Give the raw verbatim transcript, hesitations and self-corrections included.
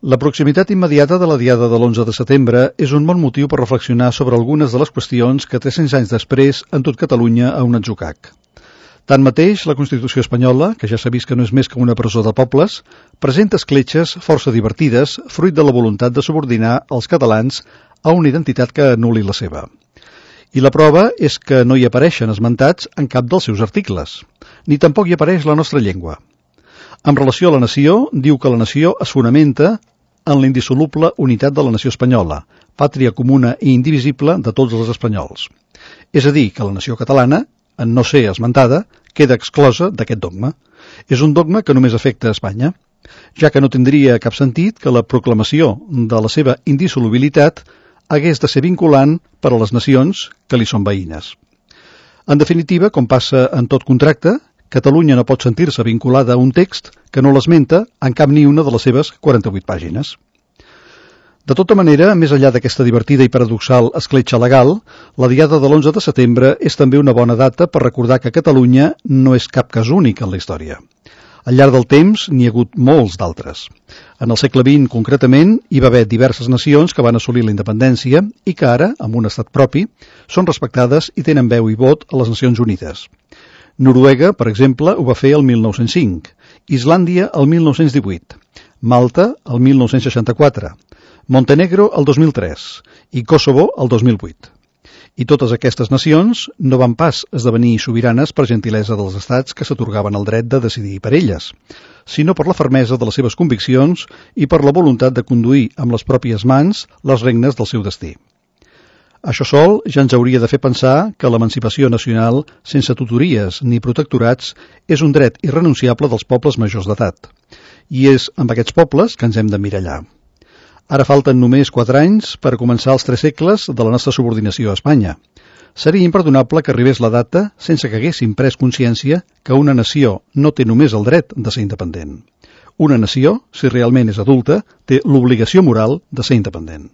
La proximitat immediata de la diada de l'onze de setembre és un bon motiu per reflexionar sobre algunes de les qüestions que tres-cents anys després han dut Catalunya a un atzucac. Tanmateix, la Constitució espanyola, que ja s'ha vist que no és més que una presó de pobles, presenta escletxes força divertides, fruit de la voluntat de subordinar els catalans a una identitat que anul·li la seva. I la prova és que no hi apareixen esmentats en cap dels seus articles, ni tampoc hi apareix la nostra llengua. En relació a la nació, diu que la nació es fonamenta en la indissoluble unitat de la nació espanyola, pàtria comuna i indivisible de tots els espanyols. És a dir, que la nació catalana, en no ser esmentada, queda exclosa d'aquest dogma. És un dogma que només afecta a Espanya, ja que no tindria cap sentit que la proclamació de la seva indissolubilitat hagués de ser vinculant per a les nacions que li són veïnes. En definitiva, com passa en tot contracte, Catalunya no pot sentir-se vinculada a un text que no l'esmenta en cap ni una de les seves quaranta-vuit pàgines. De tota manera, més enllà d'aquesta divertida i paradoxal escletxa legal, la diada de l'onze de setembre és també una bona data per recordar que Catalunya no és cap cas únic en la història. Al llarg del temps n'hi ha hagut molts d'altres. En el segle vint, concretament, hi va haver diverses nacions que van assolir la independència i que ara, amb un estat propi, són respectades i tenen veu i vot a les Nacions Unides. Noruega, per exemple, ho va fer el mil nou-cents cinc, Islàndia el mil nou-cents divuit, Malta el mil nou-cents seixanta-quatre, Montenegro el dos mil tres i Kosovo el dos mil vuit. I totes aquestes nacions no van pas esdevenir sobiranes per gentilesa dels estats que s'atorgaven el dret de decidir per elles, sinó per la fermesa de les seves conviccions i per la voluntat de conduir amb les pròpies mans les regnes del seu destí. Això sol ja ens hauria de fer pensar que l'emancipació nacional, sense tutories ni protectorats, és un dret irrenunciable dels pobles majors d'edat. I és amb aquests pobles que ens hem d'emmirallar. Ara falten només quatre anys per començar els tres segles de la nostra subordinació a Espanya. Seria imperdonable que arribés la data sense que haguéssim pres consciència que una nació no té només el dret de ser independent. Una nació, si realment és adulta, té l'obligació moral de ser independent.